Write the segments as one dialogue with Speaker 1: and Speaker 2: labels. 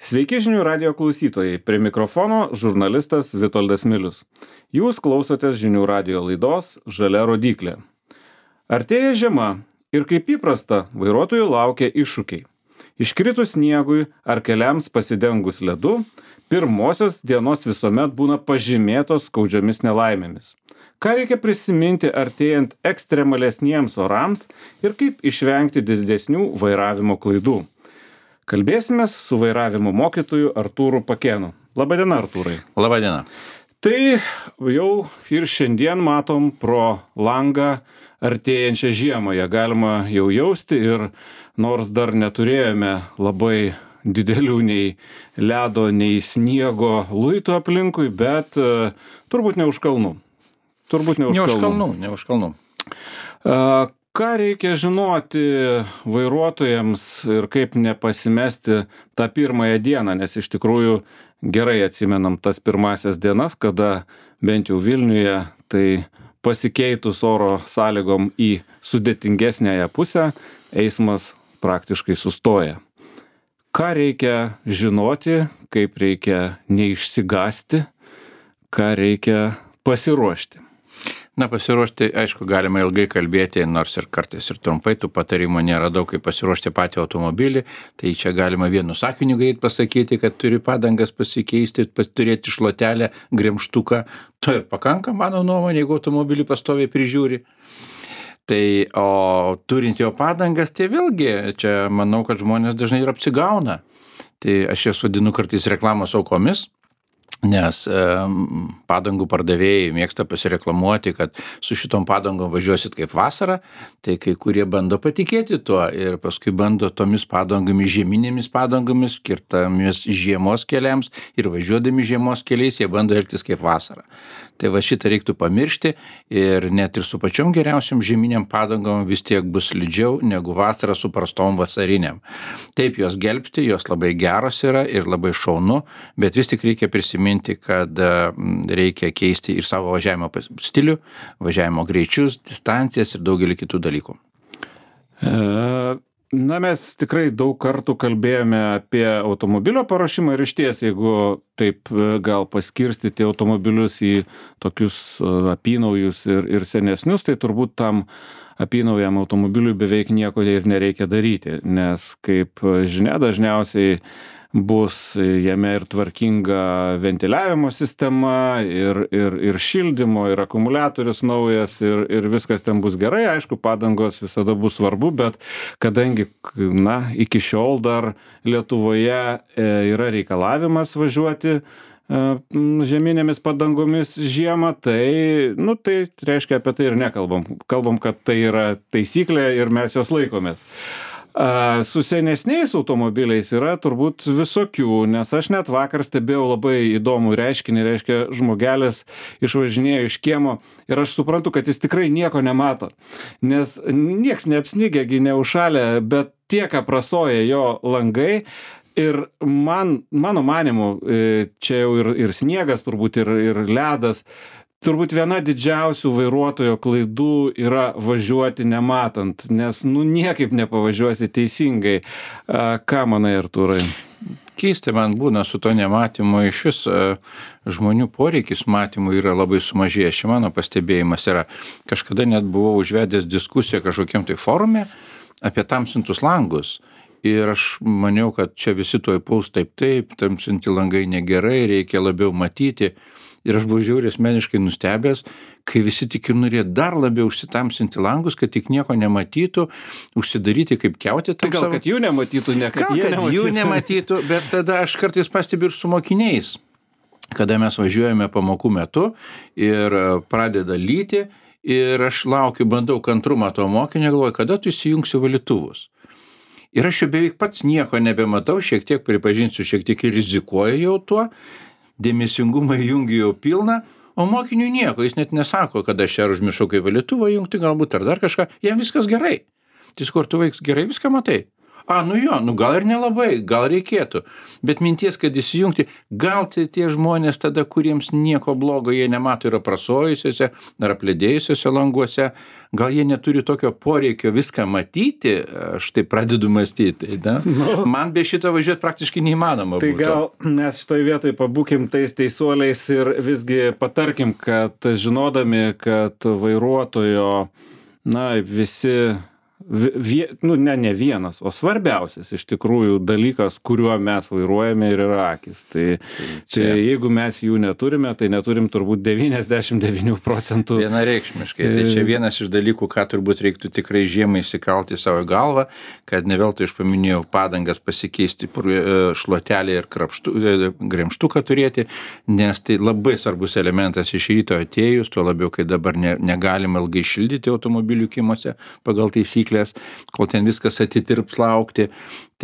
Speaker 1: Sveiki žinių radio klausytojai, prie mikrofono žurnalistas Vitoldas Milius. Jūs klausotės žinių radio laidos Žalia rodyklė. Artėja žiema ir kaip įprasta, vairuotojų laukia iššūkiai. Iškritus sniegui ar keliams pasidengus ledu, pirmosios dienos visuomet būna pažymėtos skaudžiomis nelaimėmis. Ką reikia prisiminti artėjant ekstremalesniems orams ir kaip išvengti didesnių vairavimo klaidų? Kalbėsimės su vairavimo mokytoju Artūru Pakėnu. Labadiena, Artūrai.
Speaker 2: Labadiena.
Speaker 1: Tai jau ir šiandien matom pro langą artėjančią žiemą. Ją galima jau jausti ir nors dar neturėjome labai didelių nei ledo, nei sniego luitų aplinkui, bet turbūt ne už kalnų.
Speaker 2: Ne už kalnų.
Speaker 1: Ką reikia žinoti vairuotojams ir kaip nepasimesti tą pirmąją dieną, nes iš tikrųjų gerai atsimenam tas pirmasias dienas, kada bent jau Vilniuje tai pasikeitus oro sąlygom į sudėtingesnėje pusę, eismas praktiškai sustoja. Ką reikia žinoti, kaip reikia neišsigąsti, ką reikia pasiruošti?
Speaker 2: Na, pasiruošti, aišku, galima ilgai kalbėti, nors ir kartais ir trumpai, tų patarimų nėra daug, kaip pasiruošti patį automobilį, tai čia galima vienu sakiniu greit pasakyti, kad turi padangas pasikeisti, turėti šluotelę, gremžtuką, to ir pakanka, mano nuomonė, jeigu automobilį pastoviai prižiūri. Tai, o turint jo padangas, tai vėlgi, čia manau, kad žmonės dažnai ir apsigauna. Tai aš jas vadinu kartais reklamos aukomis. Nes padangų pardavėjai mėgsta pasireklamuoti, kad su šitom padangom važiuosit kaip vasarą, tai kai kurie bando patikėti tuo ir paskui bando tomis padangomis, žieminėmis padangomis, skirtomis žiemos keliams ir važiuodami žiemos keliais jie bando elgtis kaip vasarą. Tai va šitą reiktų pamiršti ir net ir su pačiom geriausiam žieminiam padangom vis tiek bus slidžiau negu vasarą su prastom vasariniam. Taip, jos gelbsti, jos labai geros yra ir labai šaunu, bet vis tik reikia prisiminti, kad reikia keisti ir savo važiavimo stilių, važiavimo greičius, distancijas ir daugelį kitų dalykų.
Speaker 1: Na, mes tikrai daug kartų kalbėjome apie automobilio paruošimą ir išties, jeigu taip gal paskirstyti automobilius į tokius apynaujus ir senesnius, tai turbūt tam apynaujam automobiliui beveik nieko ir nereikia daryti, nes kaip žinia, dažniausiai bus jame ir tvarkinga ventiliavimo sistema, ir šildymo, ir akumuliatorius naujas, ir viskas ten bus gerai. Aišku, padangos visada bus svarbu, bet kadangi, iki šiol dar Lietuvoje yra reikalavimas važiuoti žieminėmis padangomis žiemą, tai reiškia apie tai ir nekalbam. Kalbam, kad tai yra taisyklė ir mes jos laikomės. Su senesniais automobiliais yra turbūt visokių, nes aš net vakar stebėjau labai įdomų reiškinį, reiškia žmogelis išvažinėjo iš kiemo ir aš suprantu, kad jis tikrai nieko nemato, nes nieks neapsnigė, neužšalė, bet tiek aprasoja jo langai. Ir mano manimu, čia jau ir sniegas turbūt, ir ledas, turbūt viena didžiausių vairuotojo klaidų yra važiuoti nematant, nes niekaip nepavažiuosi teisingai. Ką manai, Artūrai?
Speaker 2: Keista man būna su to nematymu, iš vis žmonių poreikis matymų yra labai sumažėjęs. Čia mano pastebėjimas yra, kažkada net buvau užvedęs diskusiją kažkokiam tai forume apie tamsintus langus. Ir aš maniau, kad čia visi tuoj puls taip, tamsinti langai negerai, reikia labiau matyti. Ir aš buvau žiauriai asmeniškai nustebęs, kai visi tik ir norėjo dar labiau užsitamsinti langus, kad tik nieko nematytų, užsidaryti kaip kiautė.
Speaker 1: Tai gal, kad jų nematytų, ne kad
Speaker 2: jų nematytų, bet tada aš kartais pastebiu ir su mokiniais, kada mes važiuojame pamokų metu ir pradeda lyti ir aš laukiu, bandau kantrumą to mokinio, galvoju, kada tu įsijungsi valytuvus. Ir aš jau beveik pats nieko nebematau, šiek tiek pripažinsiu, šiek tiek ir rizikuoju jau tuo, dėmesingumą jungiu jau pilną, o mokiniui nieko, jis net nesako, kad aš čia užmiršau kai valytuvą jungti galbūt ar dar kažką, jam viskas gerai. Tai kur tu vaiks gerai viską matai? Nu jo, gal ir nelabai, gal reikėtų. Bet minties, kad įsijungti, gal tie žmonės tada, kuriems nieko blogo jie nemato ir aprasojusiuose ar aplėdėjusiuose languose, gal jie neturi tokio poreikio viską matyti, aš tai pradedu mąstyti. Man be šito važiuoti praktiškai neįmanoma.
Speaker 1: Tai gal mes šitoj vietoj pabūkim tais teisuoliais ir visgi patarkim, kad žinodami, kad vairuotojo, visi ne vienas, o svarbiausias iš tikrųjų dalykas, kuriuo mes vairuojame ir yra akis. Tai jeigu mes jų neturime, tai neturim turbūt 99%.
Speaker 2: Vienareikšmiškai. Tai čia vienas iš dalykų, ką turbūt reiktų tikrai žiemai įsikalti savo galvą, kad ne veltui aš paminėjau padangas pasikeisti šluotelį ir gremžtuką turėti, nes tai labai svarbus elementas iš ryto atėjus, tuo labiau, kai dabar negalima ilgai šildyti automobilių kiemuose pagal taisyklės, kol ten viskas atitirps laukti,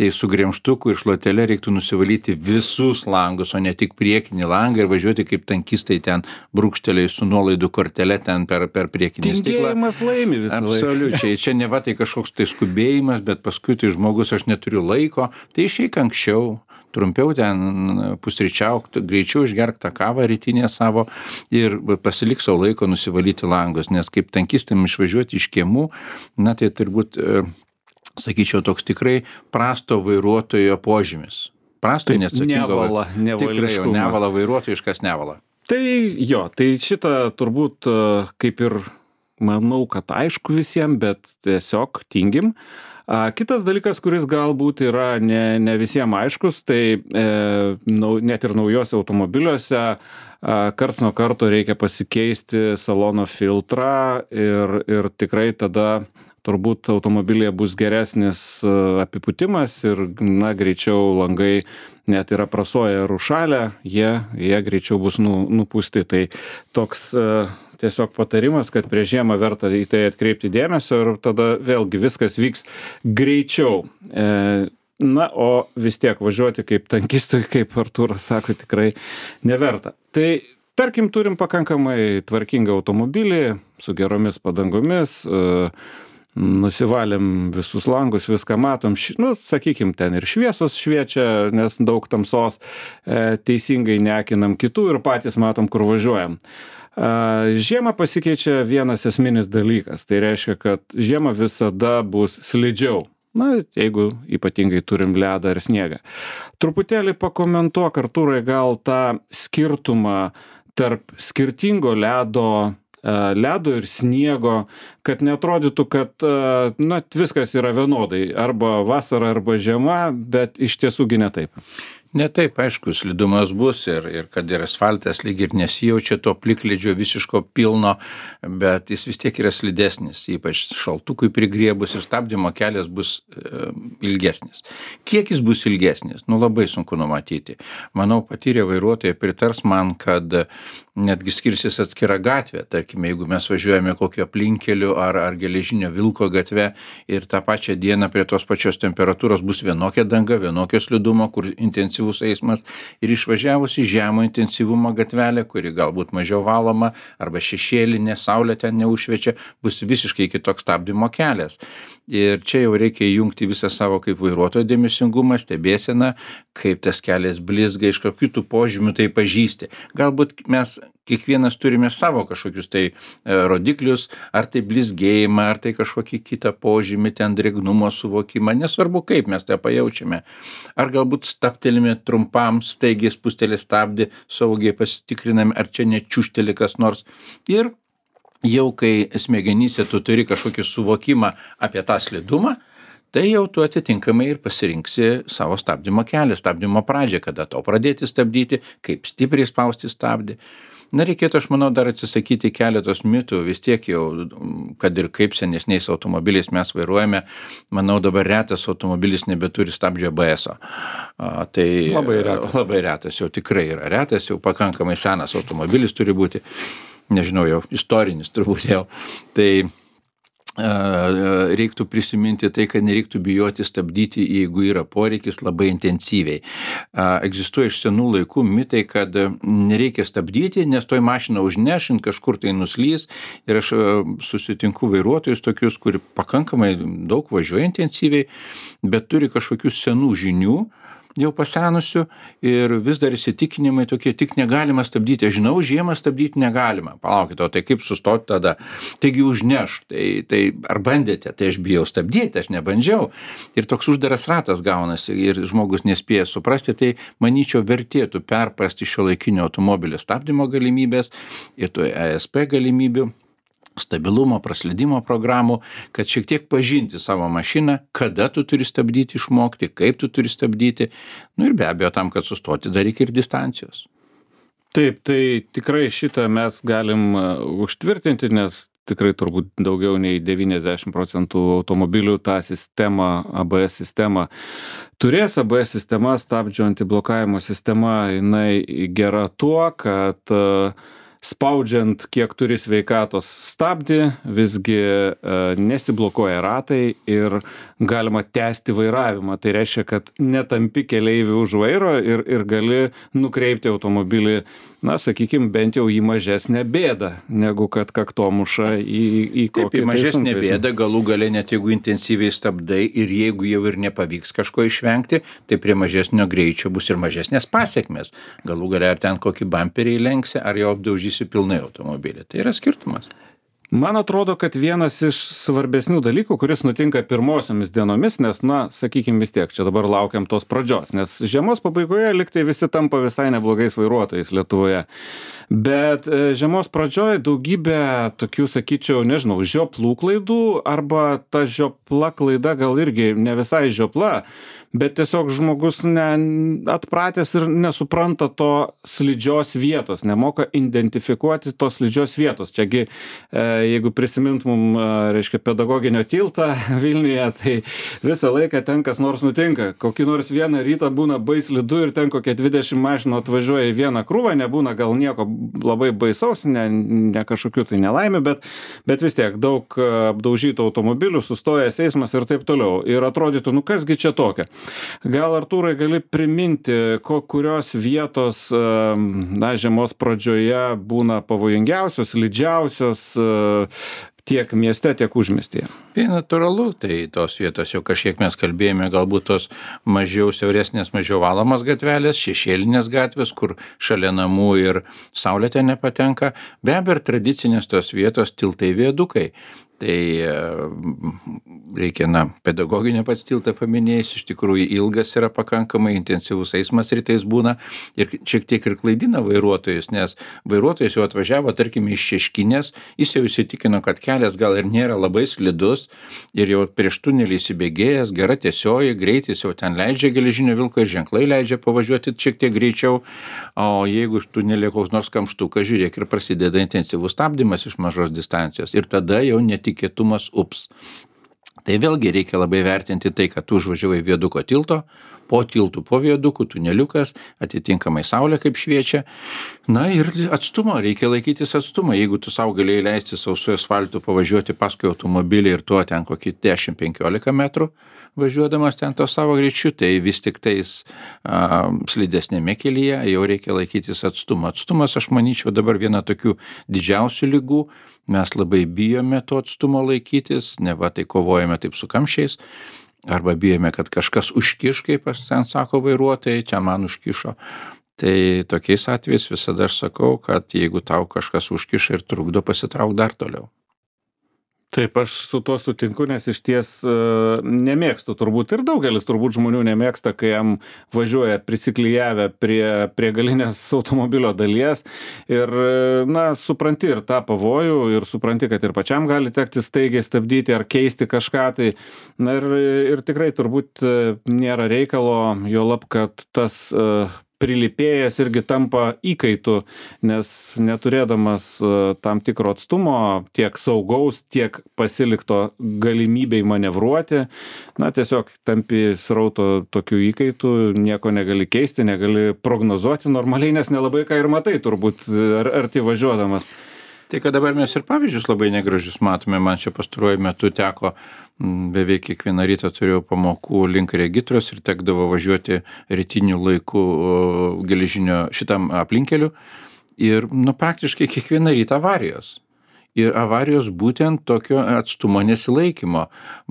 Speaker 2: tai su gremžtuku ir šluotele reiktų nusivalyti visus langus, o ne tik priekinį langą ir važiuoti kaip tankistai ten brūkšteliai su nuolaidų kortele ten per priekinį stiklą.
Speaker 1: Tingėjimas laimi visą laiką.
Speaker 2: Absoliučiai. Čia ne va tai kažkoks tai skubėjimas, bet paskui tai žmogus, aš neturiu laiko, tai išeik anksčiau. Trumpiau ten pusryčiauk, greičiau išgerk tą kavą rytinę savo ir pasilik savo laiko nusivalyti langus, nes kaip tankistam išvažiuoti iš kiemų, tai turbūt, sakyčiau, toks tikrai prasto vairuotojo požymis. Prasto neatsakingo. Tikrai jau nevala vairuotojiškas nevala.
Speaker 1: Tai jo, tai šitą turbūt kaip ir manau, kad aišku visiems, bet tiesiog tingim. Kitas dalykas, kuris galbūt yra ne visiems aiškus, tai net ir naujose automobiliuose karts nuo karto reikia pasikeisti salono filtrą ir tikrai tada turbūt automobilyje bus geresnis apipūtimas ir greičiau langai net ir aprasoja ir užšalę, jie greičiau bus nupūsti. Tai toks tiesiog patarimas, kad prieš žiemą verta į tai atkreipti dėmesio ir tada vėlgi viskas vyks greičiau. O vis tiek važiuoti kaip tankistui, kaip Artūras sako, tikrai neverta. Tai tarkim, turim pakankamai tvarkingą automobilį su geromis padangomis, nusivalėm visus langus, viską matom, sakykim, ten ir šviesos šviečia, nes daug tamsos, teisingai neakinam kitų ir patys matom, kur važiuojam. Žiemą pasikeičia vienas esminis dalykas, tai reiškia, kad žiemą visada bus slidžiau. Jeigu ypatingai turim ledą ir sniegą. Truputėlį pakomentuok, Artūrai, gal tą skirtumą tarp skirtingo ledo ir sniego, kad neatrodytų, kad viskas yra vienodai, arba vasara, arba žiema, bet iš tiesųgi ne taip.
Speaker 2: Ne taip, aišku, slidumas bus ir kad ir asfaltas lyg ir nesijaučia to plikledžio visiško pilno, bet jis vis tiek yra slidesnis, ypač šaltukui prigriebus ir stabdymo kelias bus ilgesnis. Kiek jis bus ilgesnis? Labai sunku numatyti. Manau, patyrę vairuotojai pritars man, kad netgi skirsis atskira gatvė. Tarkime, jeigu mes važiuojame kokio aplinkeliu ar geležinio vilko gatve ir tą pačią dieną prie tos pačios temperatūros bus vienokia danga, vienokio slidumo, kur intensyvus eismas ir išvažiavus į žemo intensyvumo gatvelę, kuri galbūt mažiau valoma arba šešėlinė, saulė ten neužšviečia, bus visiškai kitoks stabdymo kelias. Ir čia jau reikia įjungti visą savo kaip vairuotojo dėmesingumą, stebėseną, kaip tas kelias blizga, iš kokių tų požymių tai pažįsti. Galbūt mes kiekvienas turime savo kažkokius tai rodiklius, ar tai blizgėjimą, ar tai kažkokį kitą požymį, ten drėgnumo suvokimą, nesvarbu kaip mes tai pajaučiame. Ar galbūt stabtelime trumpam, staigiai spustelį stabdį, saugiai pasitikriname, ar čia nečiušteli kas nors. Ir jau kai smegenyse tu turi kažkokį suvokimą apie tą slidumą, tai jau tu atitinkamai ir pasirinksi savo stabdymo kelią, stabdymo pradžią, kada to pradėti stabdyti, kaip stipriai spausti stabdį. Reikėtų, aš manau, dar atsisakyti keletos mitų, vis tiek jau, kad ir kaip senesniais automobiliais mes vairuojame, manau, dabar retas automobilis nebeturi stabdžio ABS-o. Tai labai retas, jau tikrai yra retas, jau pakankamai senas automobilis turi būti, nežinau, jau istorinis turbūt jau. Tai reiktų prisiminti tai, kad nereiktų bijoti stabdyti, jeigu yra poreikis labai intensyviai. Egzistuoja iš senų laikų mitai, kad nereikia stabdyti, nes toj mašiną užnešint kažkur tai nuslys. Ir aš susitinku vairuotojus tokius, kurie pakankamai daug važiuoja intensyviai, bet turi kažkokių senų žinių, jau pasenusių ir vis dar įsitikinimai tokie, tik negalima stabdyti. Aš žinau, žiemą stabdyti negalima. Palaukite, o tai kaip sustoti tada? Taigi užneš. Tai ar bandėte? Tai aš bijau stabdyti, aš nebandžiau. Ir toks uždaras ratas gaunasi ir žmogus nespėja suprasti, tai manyčiau vertėtų perprasti šiuolaikinio automobilio stabdymo galimybės ir to ESP galimybių, stabilumo, praslydimo programų, kad šiek tiek pažinti savo mašiną, kada tu turi stabdyti, išmokti, kaip tu turi stabdyti. Nu ir be abejo, tam, kad sustoti, dar reikia ir distancijos.
Speaker 1: Taip, tai tikrai šitą mes galim užtvirtinti, nes tikrai turbūt daugiau nei 90% automobilių tą sistemą, ABS sistemą turės. ABS sistema, stabdžio antiblokavimo sistema, jinai gera tuo, kad spaudžiant, kiek turi sveikatos stabdį, visgi nesiblokuoja ratai ir galima tęsti vairavimą. Tai reiškia, kad netampi keleivių už vairo ir gali nukreipti automobilį, na, sakykime, bent jau į mažesnę bėdą, negu kad kaktomuša į kokią.
Speaker 2: Taip, į mažesnę bėdą, galų gale net jeigu intensyviai stabdai ir jeigu jau ir nepavyks kažko išvengti, tai prie mažesnio greičio bus ir mažesnės pasiekmes. Galų gale ar ten kokį bamperį įlenksi, ar jau apdaužysi pilnai automobilį. Tai yra skirtumas.
Speaker 1: Man atrodo, kad vienas iš svarbesnių dalykų, kuris nutinka pirmosiomis dienomis, nes, na, sakykime vis tiek, čia dabar laukiam tos pradžios, nes žiemos pabaigoje liktai visi tampa visai neblogais vairuotojais Lietuvoje. Bet žiemos pradžioje daugybė tokių, sakyčiau, nežinau, žioplų klaidų, arba ta žiopla klaida gal irgi ne visai žiopla, bet tiesiog žmogus atpratęs ir nesupranta to slidžios vietos, nemoka identifikuoti tos slidžios vietos. Čiagi, jeigu prisimintumum, reiškia, pedagoginio tiltą Vilniuje, tai visą laiką ten kas nors nutinka. Kokį nors vieną rytą būna baislidu ir ten kokie 20 mašinų atvažiuoja į vieną krūvą, nebūna gal nieko labai baisaus, ne kažkokių tai nelaimių, bet vis tiek daug apdaužytų automobilių, sustojęs eismas ir taip toliau. Ir atrodytų, nu kasgi čia tokia. Gal, Artūrai, gali priminti, kurios vietos, na, žiemos pradžioje būna pavojingiausios, slidžiausios tiek mieste, tiek užmiestyje?
Speaker 2: Tai natūralu, tai tos vietos jau kažkiek mes kalbėjome, galbūt tos mažiau siauresnės, mažiau valomos gatvelės, šešėlinės gatvės, kur šalia namų ir saulė ten nepatenka. Be abejo, ir tradicinės tos vietos, tiltai, viadukai. Tai reikia, pedagoginį pats tiltą paminėjus, iš tikrųjų ilgas yra pakankamai, intensyvus eismas rytais būna ir šiek tiek ir klaidina vairuotojus, nes vairuotojas jau atvažiavo, tarkime, iš Šeškinės, jis jau įsitikino, kad kelias gal ir nėra labai slidus ir jau prieš tunelį įsibėgėjęs, gera tiesioji, greitis jau ten leidžia geležinio vilko ir ženklai leidžia pavažiuoti šiek tiek greičiau, o jeigu iš tunelį koks nors kamštukas, žiūrėk, ir prasideda intensyvus stabdymas iš mažos distancijos ir tada jau netikėtumas ups. Tai vėlgi reikia labai vertinti tai, kad tu užvažiavai viaduko tilto, po tiltų, po viadukų, tuneliukas, atitinkamai saulė kaip šviečia. Na ir atstumo, reikia laikytis atstumą. Jeigu tu savo galėjai leisti sausu asfaltu pavažiuoti paskui automobilį ir tuo ten kokį 10-15 metrų važiuodamas ten to savo greičiu, tai vis tik tais slidesnėme kelyje jau reikia laikytis atstumą. Atstumas, aš manyčiau, dabar viena tokių didžiausių ligų. Mes labai bijome to atstumo laikytis, neva tai kovojame taip su kamščiais, arba bijome, kad kažkas užkiš, kaip ten sako vairuotojai, čia man užkišo. Tai tokiais atvejais visada aš sakau, kad jeigu tau kažkas užkiša ir trukdo, pasitrauk dar toliau.
Speaker 1: Taip, aš su tuo sutinku, nes iš ties nemėgstu turbūt ir daugelis turbūt žmonių nemėgsta, kai jam važiuoja prisiklijavę prie galinės automobilio dalies ir, na, supranti ir tą pavojų ir supranti, kad ir pačiam gali tekti staigiai stabdyti ar keisti kažką, tai, na, ir tikrai turbūt nėra reikalo, juolab, kad tas prilipėjęs irgi tampa įkaitu, nes neturėdamas tam tikro atstumo, tiek saugaus, tiek pasilikto galimybei manevruoti, na, tiesiog tampi srauto tokių įkaitų, nieko negali keisti, negali prognozuoti normaliai, nes nelabai ką ir matai turbūt arti važiuodamas.
Speaker 2: Tai kad dabar mes ir pavyzdžius labai negražius matome, man čia pastaruoju metu teko, beveik kiekvieną rytą turėjau pamokų link Regitros ir tekdavo važiuoti rytiniu laiku geležinio šitam aplinkeliu ir praktiškai kiekvieną rytą avarijos. Ir avarijos būtent tokio atstumo nesilaikymo,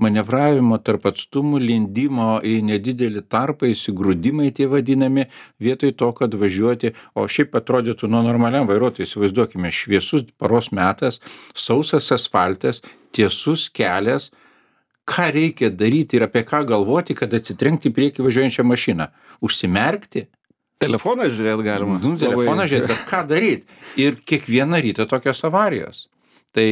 Speaker 2: manevravimo tarp atstumų, lindimo į nedidelį tarpą, įsigrūdimai tie vadinami, vietoj to, kad važiuoti, o šiaip atrodytų normaliam vairuotojui, įsivaizduokime, šviesus paros metas, sausas asfaltas, tiesus kelias, ką reikia daryti ir apie ką galvoti, kad atsitrenkti į priekį važiuojančią mašiną, užsimerkti.
Speaker 1: Telefoną žiūrėt galima.
Speaker 2: Telefoną žiūrėt, bet ką daryti? Ir kiekvieną rytą tokios avarijos. Tai,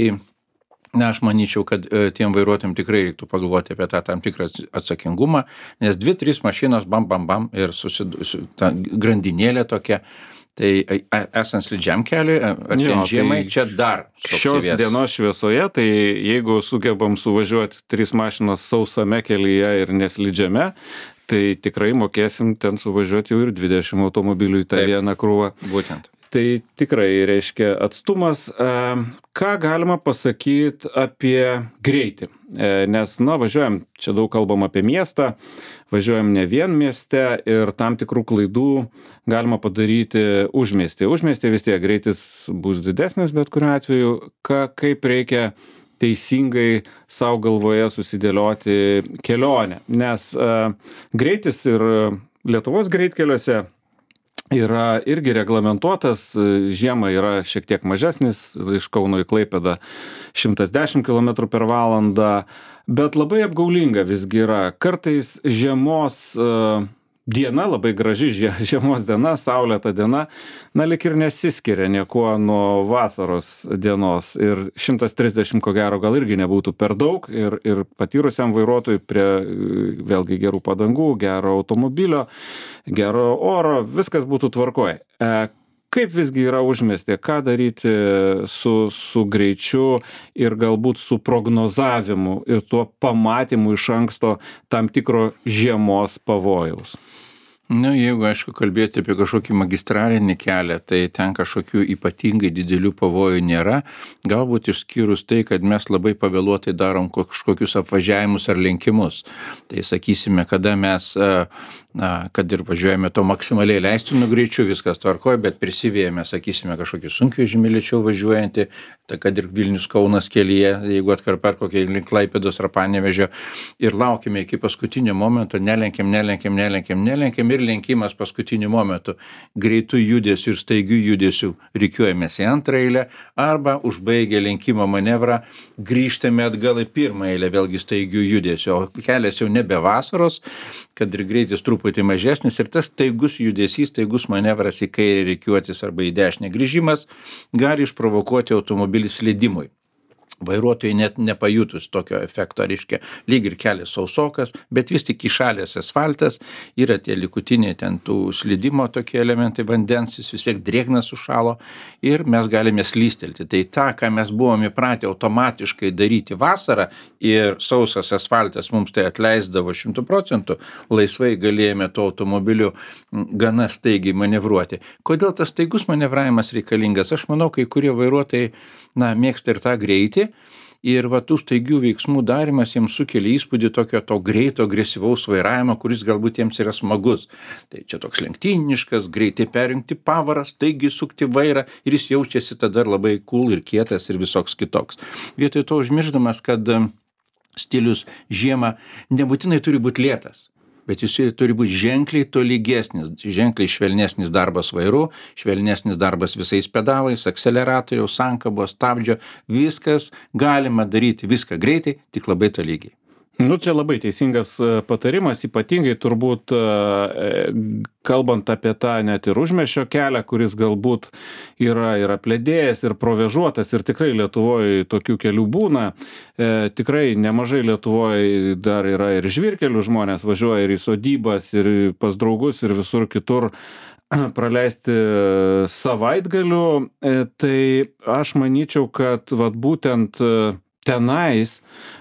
Speaker 2: aš manyčiau, kad tiem vairuotojams tikrai reiktų pagalvoti apie tą tam tikrą atsakingumą, nes 2-3 mašinos bam ir ta grandinėlė tokia. Tai esant slidžiam keliui, artėjant žiemai, čia dar
Speaker 1: šios dienos šviesoje, tai jeigu sugebam suvažiuoti 3 mašinos sausame kelyje ir neslidžiame, tai tikrai mokėsim ten suvažiuoti jau ir 20 automobilių į tą vieną krūvą.
Speaker 2: Būtent.
Speaker 1: Tai tikrai reiškia atstumas. Ką galima pasakyti apie greitį? Nes, važiuojam, čia daug kalbam apie miestą, važiuojam ne vien mieste ir tam tikrų klaidų galima padaryti užmiestyje. Užmiestyje vis tiek greitis bus didesnis, bet kuriuo atveju, kaip reikia teisingai savo galvoje susidėlioti kelionę. Nes greitis ir Lietuvos greitkeliuose yra irgi reglamentuotas, žiemą yra šiek tiek mažesnis, iš Kauno į Klaipėdą 110 km per valandą, bet labai apgaulinga visgi yra. Kartais žiemos diena, labai graži žiemos diena, saulėta diena, lyg ir nesiskiria niekuo nuo vasaros dienos. Ir 130 ko gero gal irgi nebūtų per daug ir patyrusiam vairuotojui prie vėlgi gerų padangų, gero automobilio, gero oro, viskas būtų tvarkoj. Kaip visgi yra užmiestyje, ką daryti su greičiu ir galbūt su prognozavimu ir tuo pamatymu iš anksto tam tikro žiemos pavojaus?
Speaker 2: Jeigu, aišku, kalbėti apie kažkokį magistralinį kelią, tai ten kažkokių ypatingai didelių pavojų nėra. Galbūt išskyrus tai, kad mes labai pavėluotai darom kažkokius apvažiavimus ar lenkimus. Tai sakysime, kada mes, kad ir važiuojame to maksimaliai leistinu greičiu, viskas tvarkoja, bet prisivėjame, sakysime, kažkokį sunkvežimį lėčiau važiuojantį, tai kad ir Vilnius Kaunas kelyje, jeigu atkarpa kokie link Klaipėdos ar Panevėžio, ir laukime iki paskutinio momento, nelenkiam ir lenkimas paskutiniu momentu. Greitų judesių ir staigių judesių rikiuojamės į antrą eilę arba užbaigę lenkimo manevrą grįžtame atgal į pirmą eilę, vėlgi staigių judesių. O kelias jau nebe vasaros, kad ir greitis truputį mažesnis ir tas staigus judesys, staigus manevras į kairę rikiuotis arba į dešinę grįžimas gali išprovokuoti automobilį slydimui. Vairuotojai net nepajutus tokio efekto, reiškia, lyg ir kelias sausokas, bet vis tik įšalęs asfaltas, yra tie likutiniai ten tų slydimo tokie elementai, vandens, jis vis tiek drėgnas sušalo ir mes galime slystelti. Tai tą, ką mes buvome įpratę automatiškai daryti vasarą ir sausas asfaltas mums tai atleisdavo 100%, laisvai galėjome to automobiliu gana staigiai manevruoti. Kodėl tas staigus manevravimas reikalingas? Aš manau, kai kurie vairuotojai mėgsta ir tą greitį ir tų staigių veiksmų darymas jiems sukelia įspūdį tokio to greito, agresyvaus vairavimo, kuris galbūt jiems yra smagus. Tai čia toks lenktyniškas, greitai perjungti pavarą, staigiai sukti vairą ir jis jaučiasi tada labai cool ir kietas ir visoks kitoks. Vietoj to užmiršdamas, kad stilius žiemą nebūtinai turi būti lėtas. Bet jis turi būti ženkliai tolygesnis, ženkliai švelnesnis darbas vairu, švelnesnis darbas visais pedalais, akceleratoriaus, sankabos, stabdžio, viskas galima daryti, viską greitai, tik labai tolygiai.
Speaker 1: Čia labai teisingas patarimas, ypatingai turbūt kalbant apie tą net ir užmiesčio kelią, kuris galbūt yra ir apledėjęs, ir provėžuotas, ir tikrai Lietuvoje tokių kelių būna. Tikrai nemažai Lietuvoje dar yra ir žvyrkelių, žmonės važiuoja ir į sodybas, ir pas draugus, ir visur kitur praleisti savaitgalių. Tai aš manyčiau, kad būtent tenais,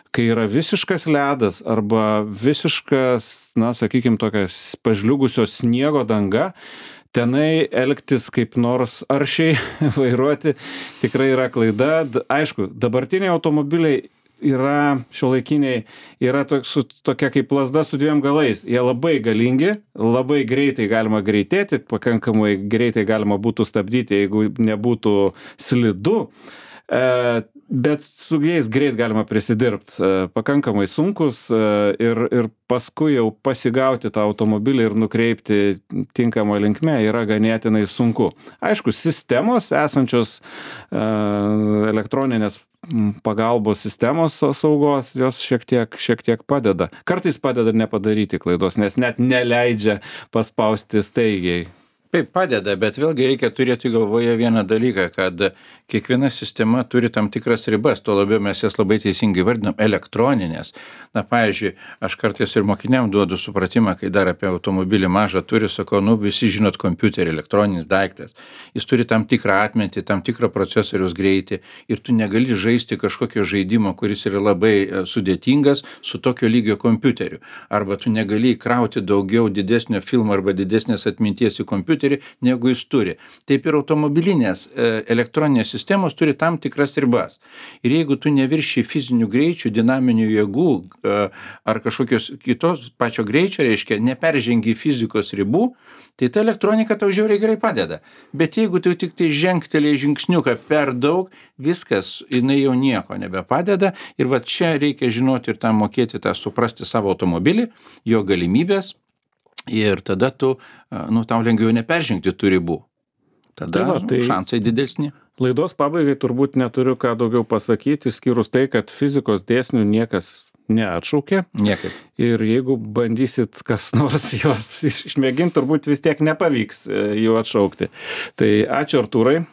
Speaker 1: kai yra visiškas ledas arba visiškas, sakykime, tokias pažliugusio sniego danga, tenai elgtis kaip nors aršiai vairuoti tikrai yra klaida. Aišku, dabartiniai automobiliai yra šiuolaikiniai, yra tokia kaip lazda su dviem galais. Jie labai galingi, labai greitai galima greitėti, pakankamai greitai galima būtų stabdyti, jeigu nebūtų slidu. Bet su jais greit galima prisidirbti, pakankamai sunkus ir paskui jau pasigauti tą automobilį ir nukreipti tinkamą linkme yra ganėtinai sunku. Aišku, sistemos esančios elektroninės pagalbos sistemos saugos, jos šiek tiek padeda. Kartais padeda nepadaryti klaidos, nes net neleidžia paspausti staigiai.
Speaker 2: Taip padeda, bet vėlgi reikia turėti galvoje vieną dalyką, kad kiekviena sistema turi tam tikras ribas, tuo labiau mes jas labai teisingai vardinam elektroninės. Na, pavyzdžiui, aš kartais ir mokiniam duodu supratimą, kai dar apie automobilį mažą turi, sakau, visi žinot kompiuterį, elektroninis daiktas. Jis turi tam tikrą atmintį, tam tikrą procesoriaus greitį ir tu negali žaisti kažkokio žaidimo, kuris yra labai sudėtingas su tokio lygio kompiuteriu. Arba tu negali įkrauti daugiau didesnio filmo arba didesnės atminties į kompiuterį, negu jis turi. Taip ir automobilinės elektroninės sistemos turi tam tikras ribas. Ir jeigu tu nevirši fizinių greičių, dinaminių jėgų ar kažkokios kitos pačio greičio, reiškia, neperžengi fizikos ribų, tai ta elektronika tau žiauriai gerai padeda. Bet jeigu tu tik tai žengtelėjai žingsniuką per daug, viskas, jinai jau nieko nebepadeda. Ir va čia reikia žinoti ir tam mokėti, tą suprasti savo automobilį, jo galimybės. Ir tada tau lengviau neperžengti tų ribų. Tada šansai didesni.
Speaker 1: Laidos pabaigai turbūt neturiu ką daugiau pasakyti, skyrus tai, kad fizikos dėsnių niekas neatšaukė.
Speaker 2: Niekaip.
Speaker 1: Ir jeigu bandysit kas nors juos išmėginti, turbūt vis tiek nepavyks jų atšaukti. Tai ačiū Artūrai.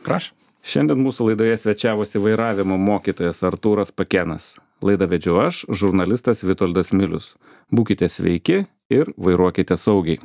Speaker 2: Prašau.
Speaker 1: Šiandien mūsų laidoje svečiavosi vairavimo mokytojas Artūras Pakėnas. Laidą vedžiau aš, žurnalistas Vitoldas Milius. Būkite sveiki ir vairuokite saugiai.